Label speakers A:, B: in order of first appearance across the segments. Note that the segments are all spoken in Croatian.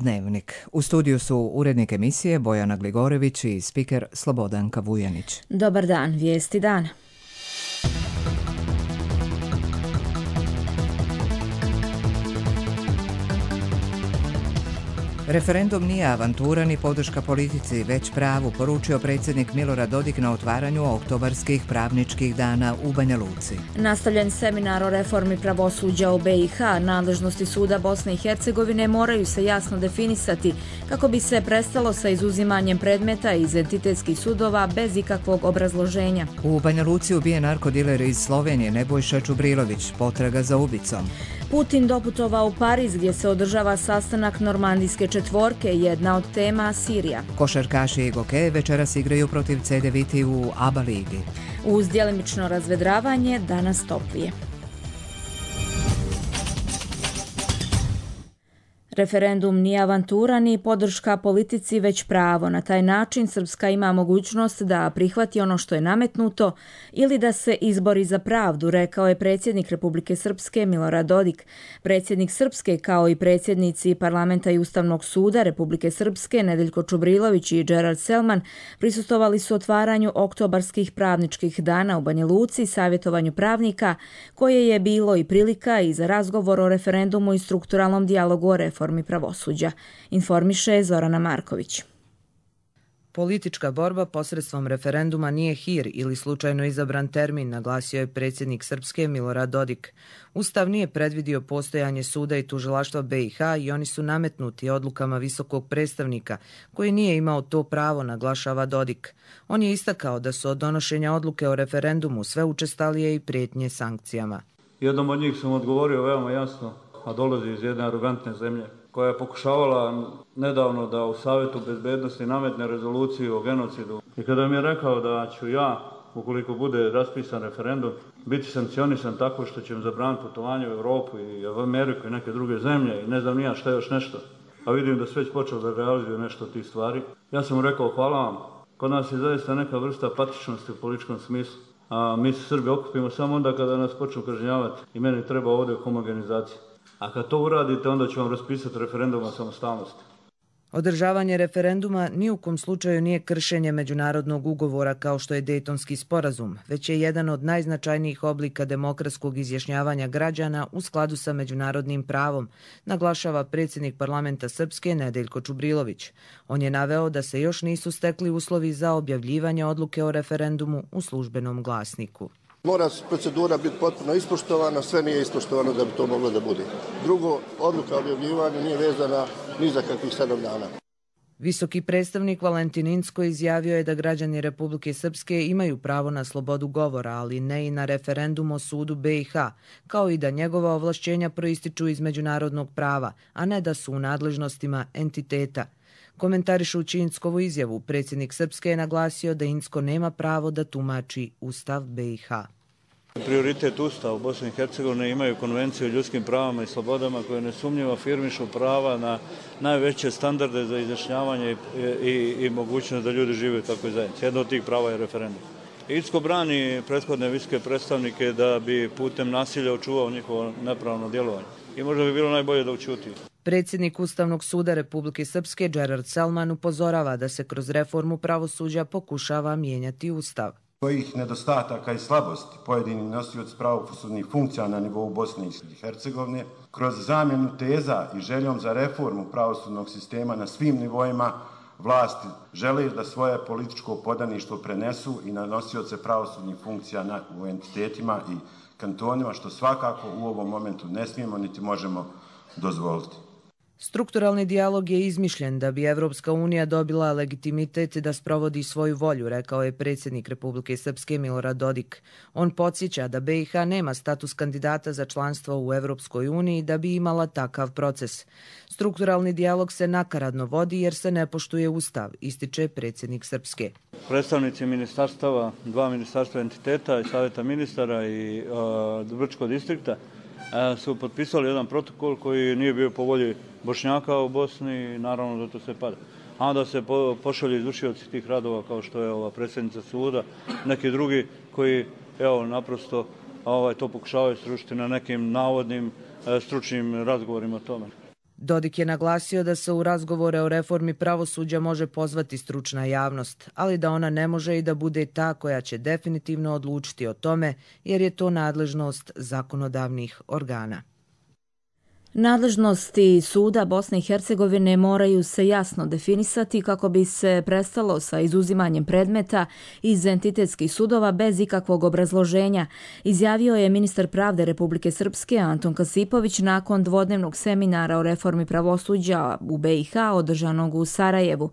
A: Dnevnik. U studiju su urednik emisije Bojana Gligorević i spiker Slobodanka Vujanić.
B: Dobar dan, vijesti dana.
A: Referendum nije avantura ni podrška politici, već pravu, poručio predsjednik Milorad Dodik na otvaranju oktobarskih pravničkih dana u Banja Luci.
B: Nastavljen seminar o reformi pravosuđa u BiH, nadležnosti suda Bosne i Hercegovine moraju se jasno definisati kako bi se prestalo sa izuzimanjem predmeta iz entitetskih sudova bez ikakvog obrazloženja.
A: U Banja Luci ubijen narkodiler iz Slovenije Nebojša Čubrilović, potraga za ubicom.
B: Putin doputovao u Pariz gdje se održava sastanak normandijske četvorke, jedna od tema Sirija.
A: Košarkaši i Goke večeras igraju protiv CD Viti u ABA ligi.
B: Uz djelimično razvedravanje danas toplije. Referendum nije avantura ni podrška politici, već pravo. Na taj način Srpska ima mogućnost da prihvati ono što je nametnuto ili da se izbori za pravdu, rekao je predsjednik Republike Srpske Milorad Dodik. Predsjednik Srpske, kao i predsjednici Parlamenta i Ustavnog suda Republike Srpske Nedeljko Čubrilović i Gerard Selman prisustvovali su otvaranju oktobarskih pravničkih dana u Banja Luci, savjetovanju pravnika, koje je bilo i prilika i za razgovor o referendumu i strukturalnom dijalogu o reformi pravosuđa, informiše Zorana Marković.
C: Politička borba posredstvom referenduma nije hir ili slučajno izabran termin, naglasio je predsjednik Srpske Milorad Dodik. Ustav nije predvidio postojanje suda i tužilaštva BiH i oni su nametnuti odlukama visokog predstavnika, koji nije imao to pravo, naglašava Dodik. On je istakao da su od donošenja odluke o referendumu sve učestalije i prijetnje sankcijama.
D: Jednom od njih sam odgovorio veoma jasno, a dolazi iz jedne arogantne zemlje, koja je pokušavala nedavno da u Savjetu bezbednosti nametne rezoluciju o genocidu. I kada mi je rekao da ću ja, ukoliko bude raspisan referendum, biti sankcionisan tako što će im zabraniti putovanje u Europu i u Ameriku i neke druge zemlje i ne znam ni ja šta još nešto, a vidim da se već počeo da realizuje nešto od tih stvari. Ja sam mu rekao hvala vam, kod nas je zaista neka vrsta apatičnosti u političkom smislu, a mi se Srbi okupimo samo onda kada nas počnu kažnjavati i meni treba ovdje homogenizacija. A kad to uradite, onda ću vam raspisati referendum o samostalnosti.
C: Održavanje referenduma ni u kom slučaju nije kršenje međunarodnog ugovora kao što je Dejtonski sporazum, već je jedan od najznačajnijih oblika demokratskog izjašnjavanja građana u skladu sa međunarodnim pravom, naglašava predsjednik Parlamenta Srpske Nedeljko Čubrilović. On je naveo da se još nisu stekli uslovi za objavljivanje odluke o referendumu u službenom glasniku.
E: Mora procedura biti potpuno ispoštovana, sve nije ispoštovano da bi to moglo da bude. Drugo, odluka o objavljivanju nije vezana ni za kakvih 7 dana.
C: Visoki predstavnik Valentin Incko izjavio je da građani Republike Srpske imaju pravo na slobodu govora, ali ne i na referendum o sudu BiH, kao i da njegova ovlašćenja proističu iz međunarodnog prava, a ne da su u nadležnostima entiteta. Komentarišući Inckovu izjavu, predsjednik Srpske je naglasio da Incko nema pravo da tumači Ustav BiH.
D: Prioritet Ustava u Bosni i Hercegovini imaju konvenciju o ljudskim pravama i slobodama koje nesumnjivo afirmišu prava na najveće standarde za izjašnjavanje i mogućnost da ljudi žive u takvoj zajednici. Jedno od tih prava je referendum. Incko brani prethodne visoke predstavnike da bi putem nasilja očuvao njihovo nepravno djelovanje. I možda bi bilo najbolje da ućuti.
C: Predsjednik Ustavnog suda Republike Srpske Gerard Selman upozorava da se kroz reformu pravosuđa pokušava mijenjati Ustav.
F: Kojih nedostataka i slabosti pojedini nosioci pravosudnih funkcija na nivou Bosne i Hercegovine, kroz zamjenu teza i željom za reformu pravosudnog sistema na svim nivoima vlasti žele da svoje političko podaništvo prenesu i na nosioce pravosudnih funkcija u entitetima i kantonima, što svakako u ovom momentu ne smijemo niti možemo dozvoliti.
C: Strukturalni dijalog je izmišljen da bi Evropska unija dobila legitimitet da sprovodi svoju volju, rekao je predsjednik Republike Srpske Milorad Dodik. On podsjeća da BiH nema status kandidata za članstvo u Evropskoj uniji da bi imala takav proces. Strukturalni dijalog se nakaradno vodi jer se ne poštuje Ustav, ističe predsjednik Srpske.
D: Predstavnici ministarstava, 2 ministarstva entiteta i savjeta ministara i Brčkog distrikta su potpisali jedan protokol koji nije bio po volji Bošnjaka u Bosni i naravno da to sve pada. A onda se pošalju izvršioci tih radova kao što je ova predsjednica suda, neki drugi koji naprosto to pokušavaju srušiti na nekim navodnim stručnim razgovorima o tome.
C: Dodik je naglasio da se u razgovore o reformi pravosuđa može pozvati stručna javnost, ali da ona ne može i da bude ta koja će definitivno odlučiti o tome, jer je to nadležnost zakonodavnih organa.
B: Nadležnosti suda Bosne i Hercegovine moraju se jasno definisati kako bi se prestalo sa izuzimanjem predmeta iz entitetskih sudova bez ikakvog obrazloženja, izjavio je ministar pravde Republike Srpske Anton Kasipović nakon dvodnevnog seminara o reformi pravosuđa u BiH održanog u Sarajevu.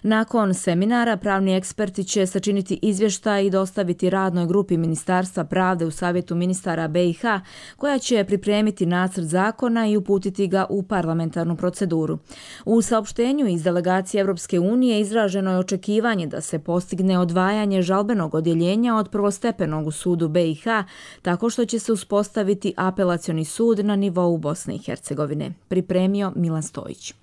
B: Nakon seminara pravni eksperti će sačiniti izvještaj i dostaviti radnoj grupi Ministarstva pravde u Savjetu ministara BiH, koja će pripremiti nacrt zakona i uputiti ga u parlamentarnu proceduru. U saopštenju iz delegacije Evropske unije izraženo je očekivanje da se postigne odvajanje žalbenog odjeljenja od prvostepenog u sudu BiH, tako što će se uspostaviti apelacioni sud na nivou Bosne i Hercegovine. Pripremio Milan Stojić.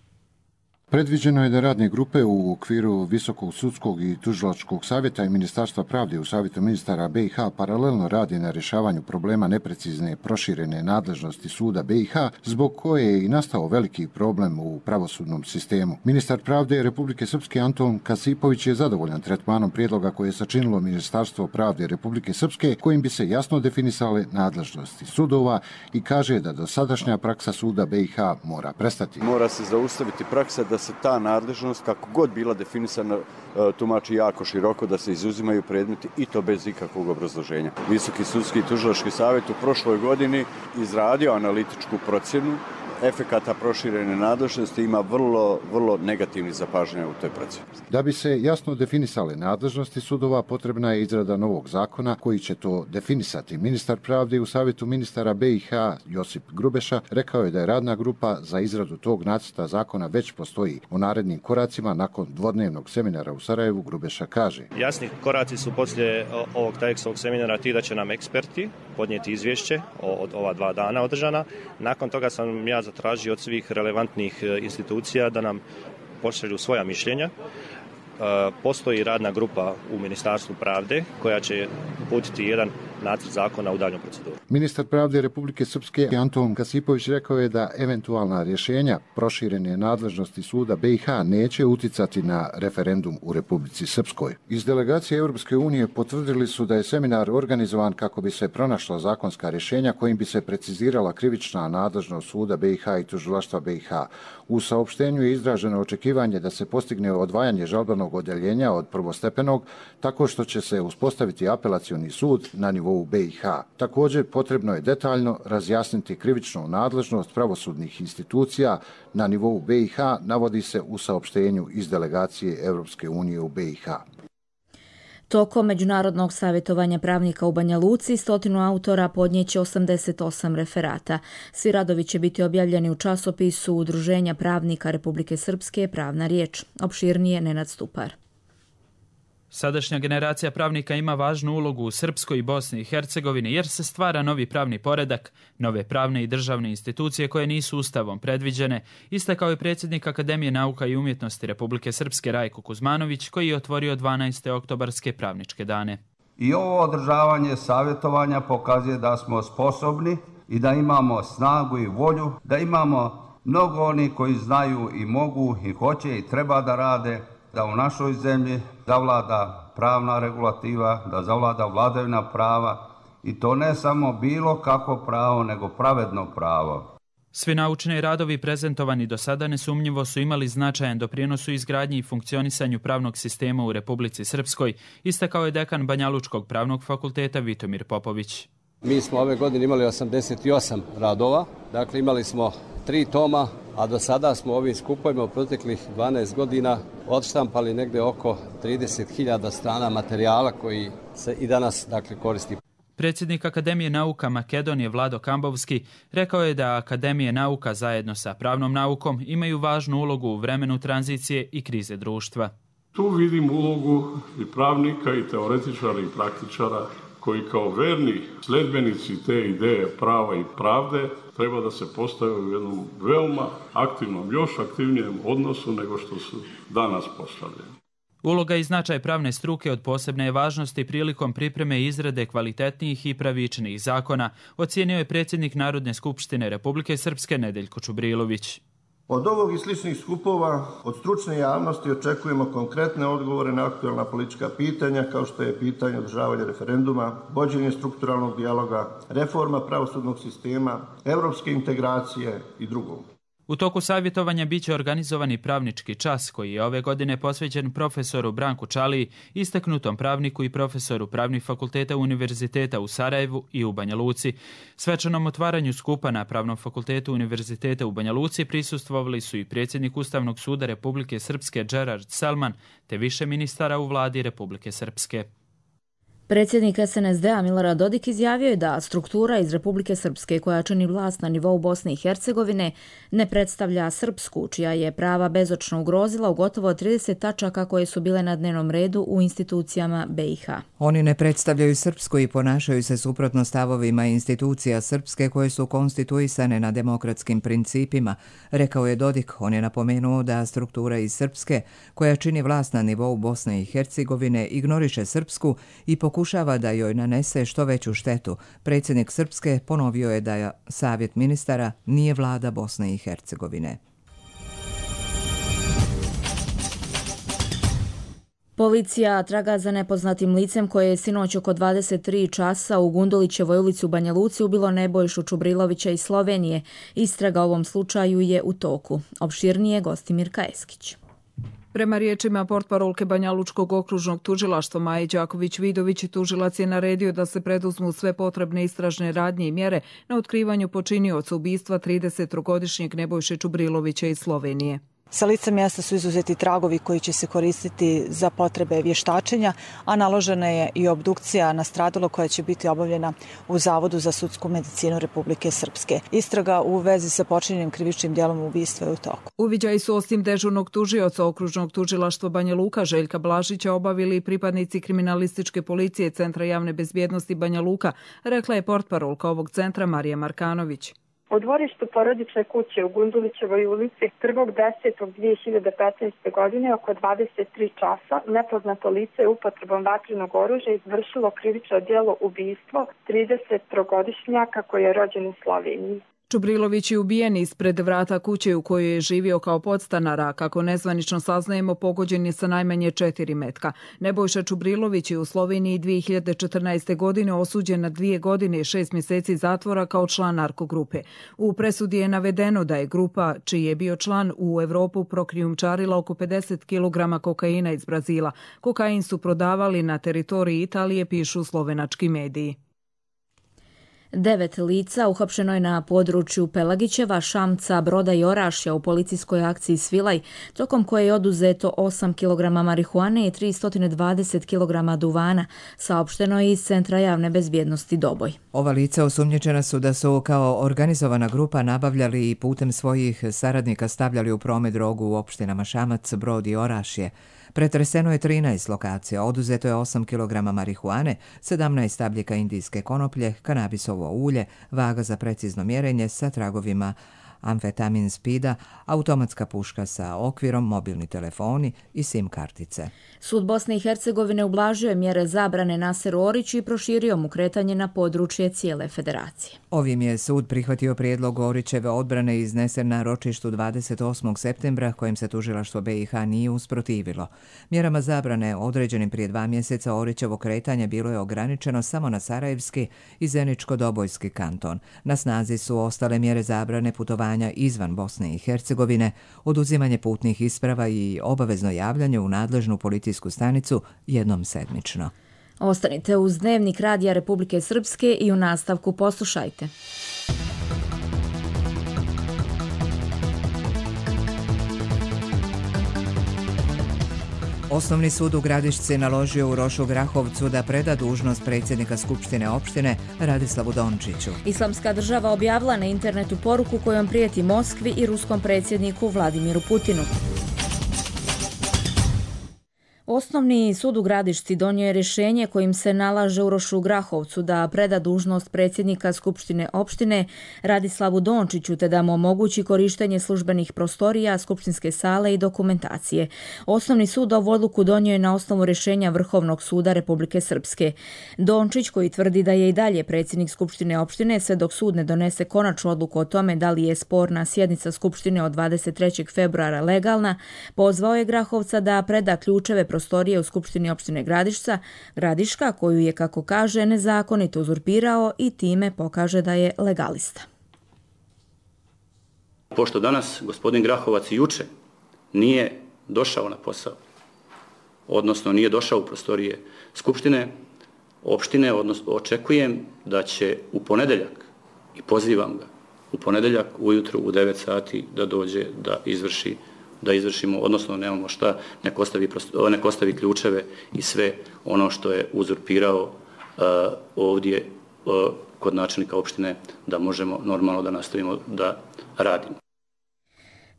G: Predviđeno je da radne grupe u okviru Visokog sudskog i tužilačkog savjeta i Ministarstva pravde u Savjetu ministara BiH paralelno radi na rješavanju problema neprecizne proširene nadležnosti suda BiH, zbog koje je i nastao veliki problem u pravosudnom sistemu. Ministar pravde Republike Srpske Anton Kasipović je zadovoljan tretmanom prijedloga koje je sačinilo Ministarstvo pravde Republike Srpske, kojim bi se jasno definisale nadležnosti sudova i kaže da dosadašnja praksa suda BiH mora prestati.
H: Mora se zaustaviti praksa da se ta nadležnost, kako god bila definisana, tumači jako široko, da se izuzimaju predmeti i to bez ikakvog obrazloženja. Visoki sudski i tužilački savjet u prošloj godini izradio analitičku procjenu efekata proširene nadležnosti, ima vrlo negativnih zapažanja u toj procjeni.
G: Da bi se jasno definisale nadležnosti sudova, potrebna je izrada novog zakona koji će to definisati. Ministar pravde u Savjetu ministara BiH Josip Grubeša rekao je da je radna grupa za izradu tog nacrta zakona već postoji. O narednim koracima nakon dvodnevnog seminara u Sarajevu Grubeša kaže:
I: Jasni koraci su poslije ovog tajekskog seminara ti da će nam eksperti podnijeti izvješće od ova 2 dana održana. Nakon toga sam ja zatražio od svih relevantnih institucija da nam pošalju svoja mišljenja. Postoji radna grupa u Ministarstvu pravde koja će uputiti jedan nacrt zakona u daljnju proceduru.
G: Ministar pravde Republike Srpske Anton Kasipović rekao je da eventualna rješenja proširene nadležnosti suda BiH neće uticati na referendum u Republici Srpskoj. Iz delegacije Europske unije potvrdili su da je seminar organizovan kako bi se pronašla zakonska rješenja kojim bi se precizirala krivična nadležnost suda BiH i tužilaštva BiH. U saopštenju je izraženo očekivanje da se postigne odvajanje žalbenog odjeljenja od prvostepenog tako što će se uspostaviti apelacioni sud na nivou BiH. Također potrebno je detaljno razjasniti krivičnu nadležnost pravosudnih institucija na nivou BiH, navodi se u saopštenju iz delegacije Europske unije u BiH.
B: Tokom međunarodnog savjetovanja pravnika u Banja Luci 100 autora podnijeće 88 referata. Svi radovi će biti objavljeni u časopisu Udruženja pravnika Republike Srpske Pravna riječ. Opširnije Nenad Stupar.
J: Sadašnja generacija pravnika ima važnu ulogu u Srpskoj i Bosni i Hercegovini jer se stvara novi pravni poredak, nove pravne i državne institucije koje nisu ustavom predviđene, istakao je predsjednik Akademije nauka i umjetnosti Republike Srpske Rajko Kuzmanović, koji je otvorio 12. oktobarske pravničke dane.
K: I ovo održavanje savjetovanja pokazuje da smo sposobni i da imamo snagu i volju, da imamo mnogo oni koji znaju i mogu i hoće i treba da rade, da u našoj zemlji zavlada pravna regulativa, da zavlada vladavina prava i to ne samo bilo kako pravo, nego pravedno pravo.
J: Svi naučni radovi prezentovani do sada nesumnjivo su imali značajan doprinos u izgradnji i funkcionisanju pravnog sistema u Republici Srpskoj, istakao je dekan Banjalučkog pravnog fakulteta Vitomir Popović.
L: Mi smo ove godine imali 88 radova, dakle imali smo 3 toma, a do sada smo ovim skupovima u proteklih 12 godina odštampali negde oko 30.000 strana materijala koji se i danas koristi.
J: Predsjednik Akademije nauka Makedonije Vlado Kambovski rekao je da Akademije nauka zajedno sa pravnom naukom imaju važnu ulogu u vremenu tranzicije i krize društva.
M: Tu vidim ulogu i pravnika i teoretičara i praktičara koji kao verni sledbenici te ideje prava i pravde treba da se postave u jednom veoma aktivnom, još aktivnijem odnosu nego što su danas postavljeni.
J: Uloga i značaj pravne struke od posebne je važnosti prilikom pripreme i izrade kvalitetnijih i pravičnijih zakona, ocijenio je predsjednik Narodne skupštine Republike Srpske Nedeljko Čubrilović.
E: Od ovog i sličnih skupova od stručne javnosti očekujemo konkretne odgovore na aktualna politička pitanja kao što je pitanje održavanja referenduma, vođenje strukturalnog dijaloga, reforma pravosudnog sistema, europske integracije i drugo.
J: U toku savjetovanja biće organizovani pravnički čas koji je ove godine posvećen profesoru Branku Čaliji, istaknutom pravniku i profesoru pravnih fakulteta Univerziteta u Sarajevu i u Banja Luci. Svečanom otvaranju skupa na Pravnom fakultetu Univerziteta u Banja Luci prisustvovali su i predsjednik Ustavnog suda Republike Srpske Džerard Selman, te više ministara u vladi Republike Srpske.
B: Predsjednik SNSD-a Milorad Dodik izjavio je da struktura iz Republike Srpske koja čini vlast na nivou Bosne i Hercegovine ne predstavlja srpsku, čija je prava bezočno ugrozila u gotovo 30 tačaka koje su bile na dnevnom redu u institucijama BiH.
A: Oni ne predstavljaju srpsku i ponašaju se suprotno stavovima institucija srpske koje su konstituisane na demokratskim principima, rekao je Dodik. On je napomenuo da struktura iz Srpske koja čini vlast na nivou Bosne i Hercegovine ignoriše srpsku i pokušava da joj nanese što veću štetu. Predsjednik Srpske ponovio je da Savjet ministara nije vlada Bosne i Hercegovine.
B: Policija traga za nepoznatim licem koje je sinoć oko 23 časa u Gundulićevoj ulici u Banja Luci ubilo Nebojšu Čubrilovića iz Slovenije. Istraga o ovom slučaju je u toku. Opširnije Gostimirka Eskić.
N: Prema riječima portparolke Banjalučkog okružnog tužilaštva Maje Đaković-Vidović, tužilac je naredio da se preduzmu sve potrebne istražne radnje i mjere na otkrivanju počinioca ubistva 30-godišnjeg Nebojše Čubrilovića iz Slovenije.
O: Sa lica mjesta su izuzeti tragovi koji će se koristiti za potrebe vještačenja, a naložena je i obdukcija nastradalog koja će biti obavljena u Zavodu za sudsku medicinu Republike Srpske. Istraga u vezi sa počinjenim krivičnim djelom ubistva je u toku.
N: Uviđaj su osim dežurnog tužioca okružnog tužilaštva Banja Luka Željka Blažića obavili pripadnici kriminalističke policije Centra javne bezbjednosti Banja Luka, rekla je portparolka ovog centra Marija Markanović.
P: U dvorištu porodične kuće u Gundulićevoj ulici 1.10.2015. godine oko 23 časa nepoznato lice je upotrebom vatrenog oružja izvršilo krivično djelo ubistvo 30-godišnjaka koji je rođen u Sloveniji.
N: Čubrilović je ubijen ispred vrata kuće u kojoj je živio kao podstanar, a kako nezvanično saznajemo, pogođen je sa najmanje 4 metka. Nebojša Čubrilović je u Sloveniji 2014. godine osuđen na 2 godine i 6 mjeseci zatvora kao član narkogrupe. U presudi je navedeno da je grupa, čiji je bio član, u Evropu prokrijumčarila oko 50 kg kokaina iz Brazila. Kokain su prodavali na teritoriji Italije, pišu slovenački mediji.
B: 9 lica uhapšeno je na području Pelagićeva, Šamca, Broda i Orašja u policijskoj akciji Svilaj, tokom koje je oduzeto 8 kg marihuane i 320 kg duvana, saopšteno je iz Centra javne bezbjednosti Doboj.
A: Ova lica osumnjičena su da su kao organizovana grupa nabavljali i putem svojih saradnika stavljali u promet drogu u opštinama Šamac, Brod i Orašje. Pretreseno je 13 lokacija, oduzeto je 8 kg marihuane, 17 stabljika indijske konoplje, kanabisovo ulje, vaga za precizno mjerenje sa tragovima amfetamin spida, automatska puška sa okvirom, mobilni telefoni i SIM kartice.
B: Sud Bosne i Hercegovine ublažio je mjere zabrane Naseru Oriću i proširio mu kretanje na područje cijele federacije.
A: Ovim je sud prihvatio prijedlog Orićeve odbrane iznesen na ročištu 28. septembra kojim se tužilaštvo BiH nije usprotivilo. Mjerama zabrane određenim prije 2 mjeseca Orićevo kretanje bilo je ograničeno samo na Sarajevski i Zeničko-Dobojski kanton. Na snazi su ostale mjere zabrane putovanja izvan Bosne i Hercegovine, oduzimanje putnih isprava i obavezno javljanje u nadležnu policijsku stanicu jednom sedmično.
B: Ostanite uz Dnevnik Radija Republike Srpske i u nastavku poslušajte.
A: Osnovni sud u Gradišci naložio Urošu Grahovcu da preda dužnost predsjednika Skupštine opštine Radislavu Dončiću.
B: Islamska država objavila na internetu poruku kojom prijeti Moskvi i ruskom predsjedniku Vladimiru Putinu. Osnovni sud u Gradišci donio je rješenje kojim se nalaže Urošu Grahovcu da preda dužnost predsjednika Skupštine opštine Radislavu Dončiću te da mu omogući korištenje službenih prostorija, skupštinske sale i dokumentacije. Osnovni sud ovu odluku donio je na osnovu rješenja Vrhovnog suda Republike Srpske. Dončić, koji tvrdi da je i dalje predsjednik Skupštine opštine sve dok sud ne donese konačnu odluku o tome da li je sporna sjednica Skupštine od 23. februara legalna, pozvao je Grahovca da preda ključeve prostorije u Skupštini opštine Gradiška, koju je, kako kaže, nezakonito uzurpirao i time pokaže da je legalista.
Q: Pošto danas gospodin Grahovac i juče nije došao na posao, odnosno nije došao u prostorije Skupštine opštine, odnosno očekujem da će u ponedeljak, i pozivam ga, u ponedeljak ujutru u 9 sati da dođe da izvršimo, odnosno nemamo šta, nek ostavi ključeve i sve ono što je uzurpirao ovdje kod načelnika opštine, da možemo normalno da nastavimo da radimo.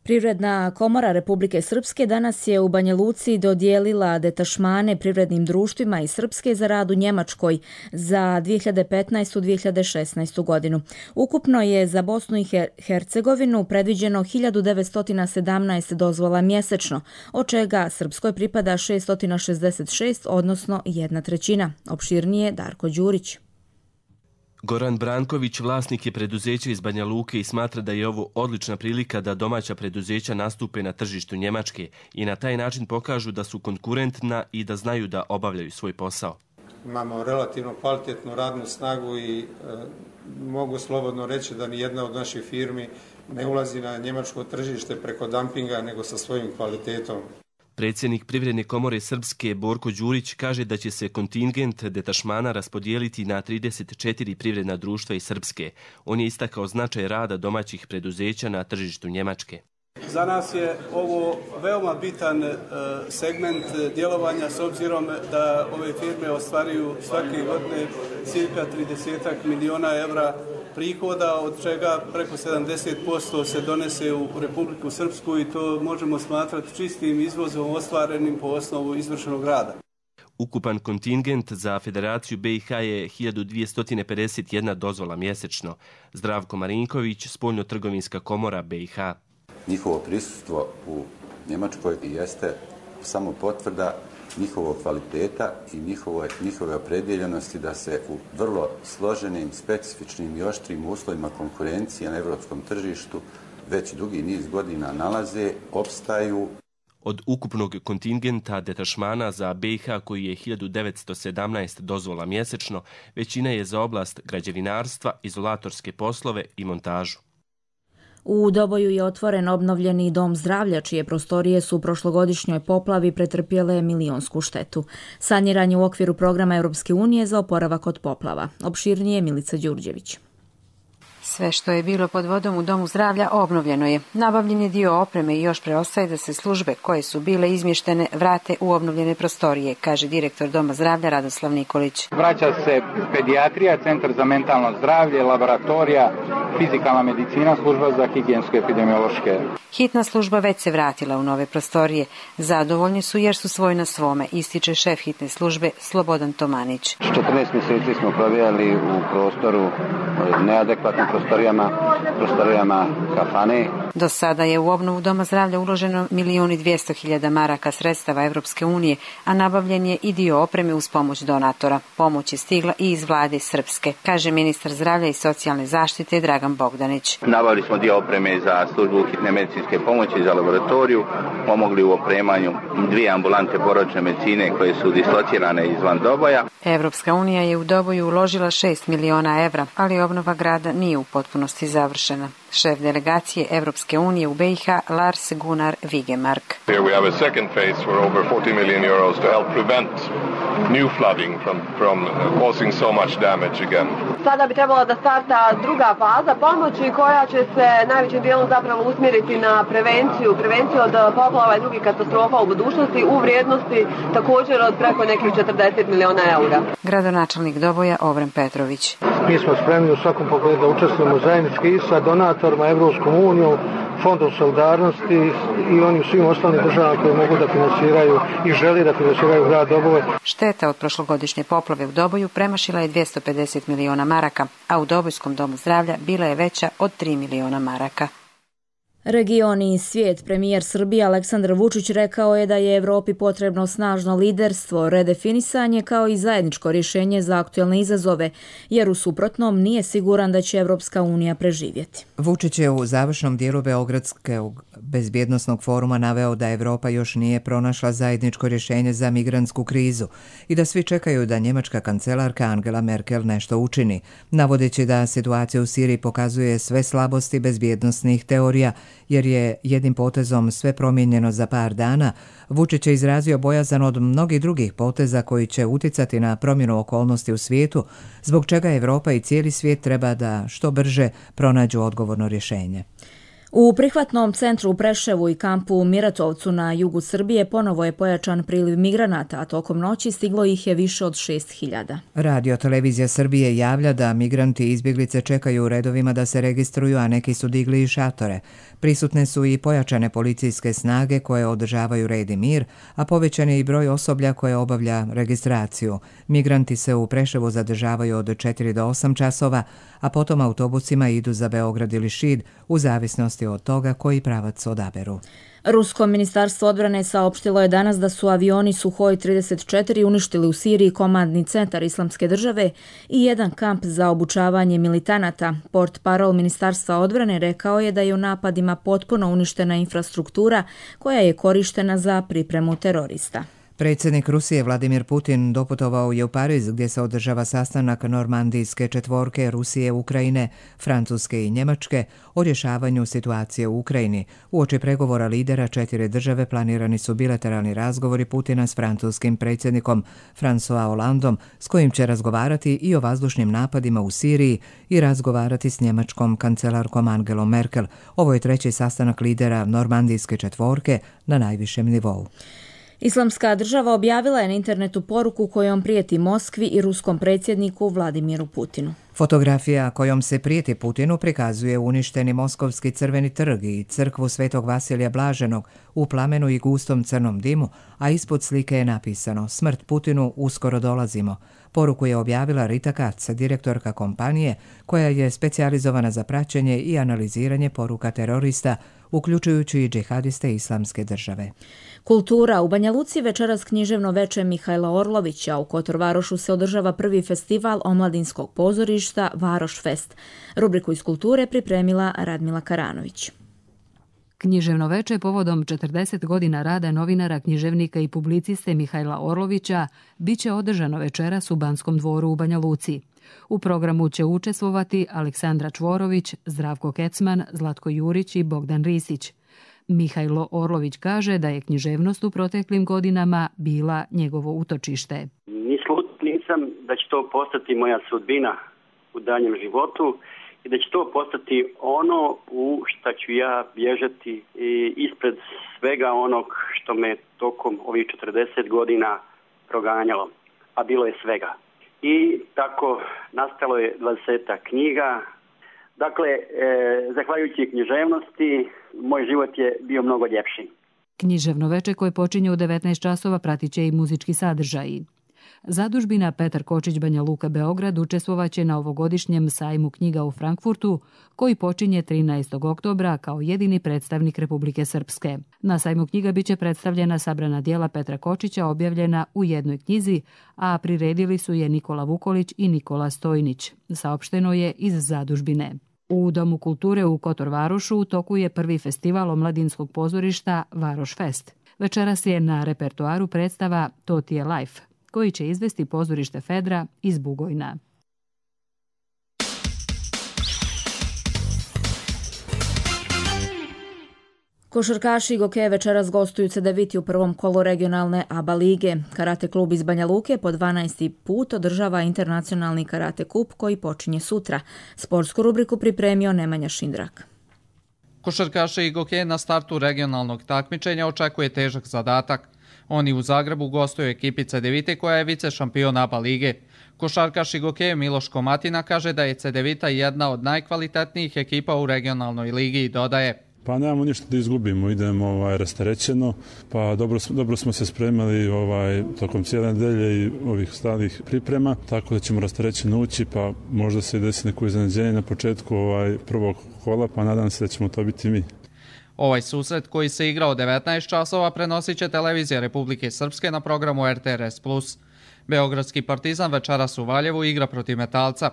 B: Privredna komora Republike Srpske danas je u Banja Luci dodijelila detašmane privrednim društvima iz Srpske za rad u Njemačkoj za 2015-2016 godinu. Ukupno je za Bosnu i Hercegovinu predviđeno 1917 dozvola mjesečno, od čega Srpskoj pripada 666, odnosno 1/3. Opširnije Darko Đurić.
R: Goran Branković vlasnik je preduzeća iz Banja Luke i smatra da je ovo odlična prilika da domaća preduzeća nastupe na tržištu Njemačke i na taj način pokažu da su konkurentna i da znaju da obavljaju svoj posao.
S: Imamo relativno kvalitetnu radnu snagu i mogu slobodno reći da ni jedna od naših firmi ne ulazi na njemačko tržište preko dampinga, nego sa svojim kvalitetom.
R: Predsjednik Privredne komore Srpske Borko Đurić kaže da će se kontingent detašmana raspodijeliti na 34 privredna društva iz Srpske. On je istakao značaj rada domaćih preduzeća na tržištu Njemačke.
T: Za nas je ovo veoma bitan segment djelovanja s obzirom da ove firme ostvaruju svake godine cirka 30 milijuna evra prihoda, od čega preko 70% se donese u Republiku Srpsku i to možemo smatrati čistim izvozom ostvarenim po osnovu izvršenog rada.
R: Ukupan kontingent za Federaciju BiH je 1251 dozvola mjesečno. Zdravko Marinković, Spoljno-trgovinska komora BiH.
U: Njihovo prisustvo u Njemačkoj jeste samo potvrda njihovog kvaliteta i njihove opredjeljenosti da se u vrlo složenim, specifičnim i oštrim uslovima konkurencije na europskom tržištu već dugi niz godina nalaze, opstaju.
R: Od ukupnog kontingenta detašmana za BiH, koji je 1917 dozvola mjesečno, većina je za oblast građevinarstva, izolatorske poslove i montažu.
B: U Doboju je otvoren obnovljeni dom zdravlja, čije prostorije su u prošlogodišnjoj poplavi pretrpjele milionsku štetu. Saniran je u okviru programa Europske unije za oporavak od poplava. Opširnije Milica Đurđević.
V: Sve što je bilo pod vodom u domu zdravlja obnovljeno je. Nabavljen je dio opreme i još preostaje da se službe koje su bile izmještene vrate u obnovljene prostorije, kaže direktor doma zdravlja Radoslav Nikolić.
W: Vraća se pedijatrija, centar za mentalno zdravlje, laboratorija, fizikalna medicina, služba za higijensko-epidemiološke.
V: Hitna služba već se vratila u nove prostorije. Zadovoljni su jer su svoj na svome, ističe šef hitne službe Slobodan Tomanić.
W: 14 mjeseci smo provijali u prostoru neadekvatnim prostorijama kafane.
V: Do sada je u obnovu doma zdravlja uloženo 1.200.000 maraka sredstava Europske unije, a nabavljen je i dio opreme uz pomoć donatora. Pomoć je stigla i iz vlade Srpske, kaže ministar zdravlja i socijalne zaštite Dragan Bogdanić.
W: Nabavili smo dio opreme za službu hitne medicinske pomoći za laboratoriju, pomogli u opremanju 2 ambulante porodične medicine koje su dislocirane izvan Doboja.
V: Europska unija je u Doboju uložila 6 miliona evra, ali obnova grada nije u potpunosti završena. Šef delegacije Evropske unije u BiH Lars Gunnar Vigemark.
X: Here we have a second phase for over 40 million euros to help prevent new flooding from causing so much damage again.
Y: Sada bi trebala da starta druga faza pomoći koja će se najvećim dijelom zapravo usmjeriti na prevenciju od poplava i drugih katastrofa u budućnosti u vrijednosti također od preko nekih 40 miliona eura.
V: Gradonačelnik Doboja Ovren Petrović.
C: Mi smo spremni u svakom pogledu da učestvujemo zajednički i sa donatorima, Evropskom unijom, Fondom solidarnosti i onim svim ostalim državama koji mogu da finansiraju i želi da finansiraju grad Doboj.
V: Šteta od prošlogodišnje poplave u Doboju premašila je 250 miliona maraka, a u Dobojskom domu zdravlja bila je veća od 3 miliona maraka.
B: Regioni i svijet. Premijer Srbije Aleksandar Vučić rekao je da je Evropi potrebno snažno liderstvo, redefinisanje kao i zajedničko rješenje za aktualne izazove, jer u suprotnom nije siguran da će Evropska unija preživjeti.
A: Vučić je u završnom dijelu Beogradskog bezbjednosnog foruma naveo da Evropa još nije pronašla zajedničko rješenje za migrantsku krizu i da svi čekaju da njemačka kancelarka Angela Merkel nešto učini, navodeći da situacija u Siriji pokazuje sve slabosti bezbjednosnih teorija, jer je jednim potezom sve promijenjeno za par dana. Vučić je izrazio bojazan od mnogih drugih poteza koji će uticati na promjenu okolnosti u svijetu, zbog čega Evropa i cijeli svijet treba da što brže pronađu odgovorno rješenje.
B: U prihvatnom centru u Preševu i kampu u Miratovcu na jugu Srbije ponovo je pojačan priliv migranata, a tokom noći stiglo ih je više od 6.000.
A: Radio Televizija Srbije javlja da migranti i izbjeglice čekaju u redovima da se registruju, a neki su digli i šatore. Prisutne su i pojačane policijske snage koje održavaju red i mir, a povećan je i broj osoblja koje obavlja registraciju. Migranti se u Preševu zadržavaju od 4 do 8 časova, a potom autobusima idu za Beograd ili Šid u zavisnosti od toga koji pravac odaberu.
B: Rusko ministarstvo odbrane saopštilo je danas da su avioni Suhoj 34 uništili u Siriji komandni centar Islamske države i jedan kamp za obučavanje militanata. Portparol ministarstva odbrane rekao je da je u napadima potpuno uništena infrastruktura koja je korištena za pripremu terorista.
A: Predsjednik Rusije Vladimir Putin doputovao je u Pariz gdje se održava sastanak normandijske četvorke Rusije, Ukrajine, Francuske i Njemačke o rješavanju situacije u Ukrajini. Uoči pregovora lidera 4 države planirani su bilateralni razgovori Putina s francuskim predsjednikom François Hollandom, s kojim će razgovarati i o vazdušnim napadima u Siriji i razgovarati s njemačkom kancelarkom Angelom Merkel. Ovo je treći sastanak lidera normandijske četvorke na najvišem nivou.
B: Islamska država objavila je na internetu poruku kojom prijeti Moskvi i ruskom predsjedniku Vladimiru Putinu.
A: Fotografija kojom se prijeti Putinu prikazuje uništeni Moskovski crveni trg i crkvu Svetog Vasilija Blaženog u plamenu i gustom crnom dimu, a ispod slike je napisano "Smrt Putinu, uskoro dolazimo". Poruku je objavila Rita Katz, direktorka kompanije koja je specijalizovana za praćenje i analiziranje poruka terorista, uključujući i džihadiste Islamske države.
B: Kultura. U Banja Luci večeras književno veče Mihajla Orlovića. U Kotorvarošu se održava prvi festival omladinskog pozorišta Varoš Fest. Rubriku iz kulture pripremila Radmila Karanović.
D: Književno veče povodom 40 godina rada novinara, književnika i publiciste Mihajla Orlovića biće održano večeras u Banskom dvoru u Banja Luci. U programu će učestvovati Aleksandra Čvorović, Zdravko Kecman, Zlatko Jurić i Bogdan Risić. Mihajlo Orlović kaže da je književnost u proteklim godinama bila njegovo utočište.
F: Nisam da će to postati moja sudbina u daljem životu i da će to postati ono u šta ću ja bježati ispred svega onog što me tokom ovih 40 godina proganjalo, a bilo je svega. I tako nastalo je 20 knjiga. Dakle, zahvaljujući književnosti, moj život je bio mnogo ljepši.
D: Književno veče koje počinje u 19 časova pratit će i muzički sadržaji. Zadužbina Petar Kočić Banja Luka Beograd učestvovaće na ovogodišnjem sajmu knjiga u Frankfurtu, koji počinje 13. oktobra kao jedini predstavnik Republike Srpske. Na sajmu knjiga biće predstavljena sabrana djela Petra Kočića objavljena u jednoj knjizi, a priredili su je Nikola Vukolić i Nikola Stojnić. Saopšteno je iz zadužbine. U Domu kulture u Kotorvarošu u toku je prvi festival omladinskog pozorišta Varoš Fest. Večeras je na repertoaru predstava To ti je life, koji će izvesti pozorište Fedra iz Bugojna.
B: Košarkaši Goke večeras gostuju Cedeviti u prvom kolu regionalne ABA lige. Karate klub iz Banja Luke po 12. put održava internacionalni karate kup koji počinje sutra. Sportsku rubriku pripremio Nemanja Šindrak.
H: Košarkaše Goke na startu regionalnog takmičenja očekuje težak zadatak.
G: Oni u Zagrebu gostuju ekipi Cedevite koja je vice šampion ABA lige. Košarkaš i gokej Miloš Komatina kaže da je Cedevita jedna od najkvalitetnijih ekipa u regionalnoj ligi i dodaje:
H: Pa nemamo ništa da izgubimo, idemo rasterećeno, pa dobro smo se spremali tokom cijele nedelje i ovih stalnih priprema, tako da ćemo rasterećeno ući, pa možda se desi neko iznenađenje na početku prvog kola, pa nadam se da ćemo to biti mi.
G: Ovaj susret koji se igra od 19 časova prenosit će televizija Republike Srpske na programu RTRS+. Beogradski Partizan večeras u Valjevu igra protiv Metalca.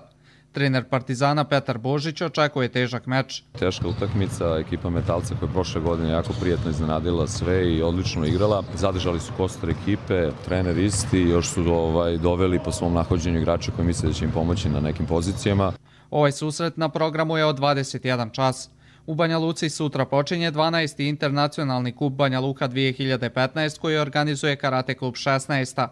G: Trener Partizana Petar Božić očekuje težak meč.
I: Teška utakmica, ekipa Metalca koja je prošle godine jako prijatno iznenadila sve i odlično igrala. Zadržali su kostur ekipe, trener isti, još su doveli po svom nahođenju igrača koji misle da će im pomoći na nekim pozicijama.
G: Ovaj susret na programu je od 21 čas. U Banja Luci sutra počinje 12. internacionalni kup Banja Luka 2015 koji organizuje Karate klub 16.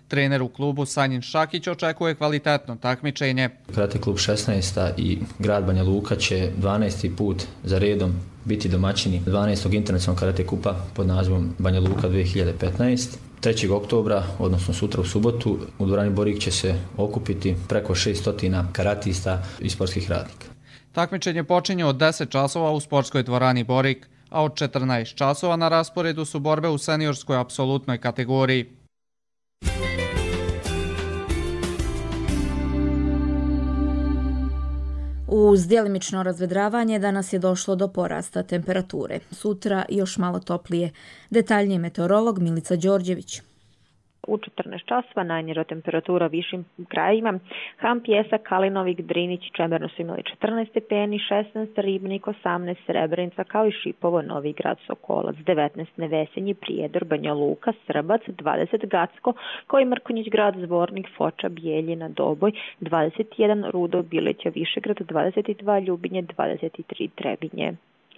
G: Trener u klubu Sanjin Šakić očekuje kvalitetno takmičenje.
K: Karate klub 16. i grad Banja Luka će 12. put za redom biti domaćini 12. internacionalnog karate kupa pod nazivom Banja Luka 2015. 3. oktobra, odnosno sutra u subotu, u dvorani Borik će se okupiti preko 600 karatista i sportskih radnika.
G: Takmičenje počinje od 10 časova u sportskoj dvorani Borik, a od 14 časova na rasporedu su borbe u seniorskoj apsolutnoj kategoriji.
B: Uz djelimično razvedravanje danas je došlo do porasta temperature. Sutra još malo toplije. Detaljnije meteorolog Milica Đorđević.
L: U 14 časova najniža temperatura višim krajima. Ham, Pjesak, Kalinovik, Drinić, Čemerno su imali 14 stepeni, 16 Ribnik, 18 Srebrenica, kao i Šipovo, Novi Grad, Sokolac, 19 Nevesenje, Prijedor, Banja Luka, Srbac, 20 Gacko, kao i Mrkonjić Grad, Zvornik, Foča, Bijeljina, Doboj, 21 Rudo, Bileća, Višegrad, 22 Ljubinje, 23 Trebinje.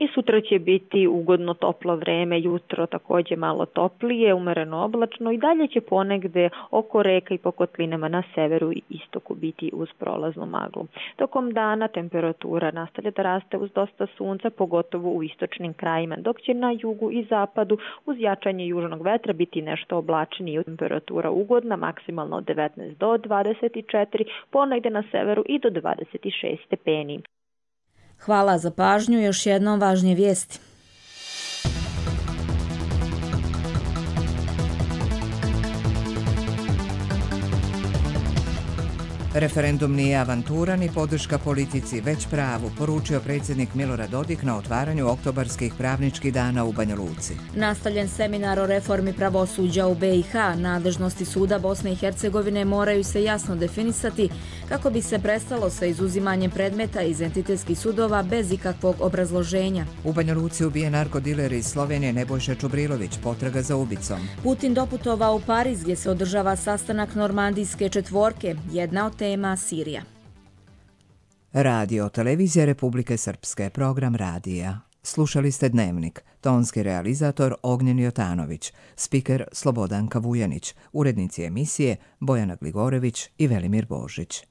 L: I sutra će biti ugodno toplo vreme, jutro također malo toplije, umereno oblačno i dalje će ponegde oko reka i po kotlinama na severu i istoku biti uz prolaznu maglu. Tokom dana temperatura nastavlja da raste uz dosta sunca, pogotovo u istočnim krajima, dok će na jugu i zapadu uz jačanje južnog vetra biti nešto oblačnije. Temperatura ugodna, maksimalno od 19 do 24, ponegde na severu i do 26 stepeni.
B: Hvala za pažnju, još jednom važnije vijesti.
A: Referendum nije avantura ni podrška politici, već pravu, poručio predsjednik Milorad Dodik na otvaranju oktobarskih pravničkih dana u Banja Luci.
B: Nastavljen seminar o reformi pravosuđa u BiH, nadležnosti suda Bosne i Hercegovine moraju se jasno definisati kako bi se prestalo sa izuzimanjem predmeta iz entitetskih sudova bez ikakvog obrazloženja.
A: U Banja Luci ubijen narkodiler iz Slovenije Nebojša Čubrilović, potraga za ubicom.
B: Putin doputovao u Pariz gdje se održava sastanak Normandijske četvorke, jedna od tema Sirija.
A: Radio Televizija Republike Srpske, program radija. Slušali ste Dnevnik, tonski realizator Ognjen Jotanović, spiker Slobodanka Vujanić, urednici emisije Bojana Gligorević i Velimir Božić.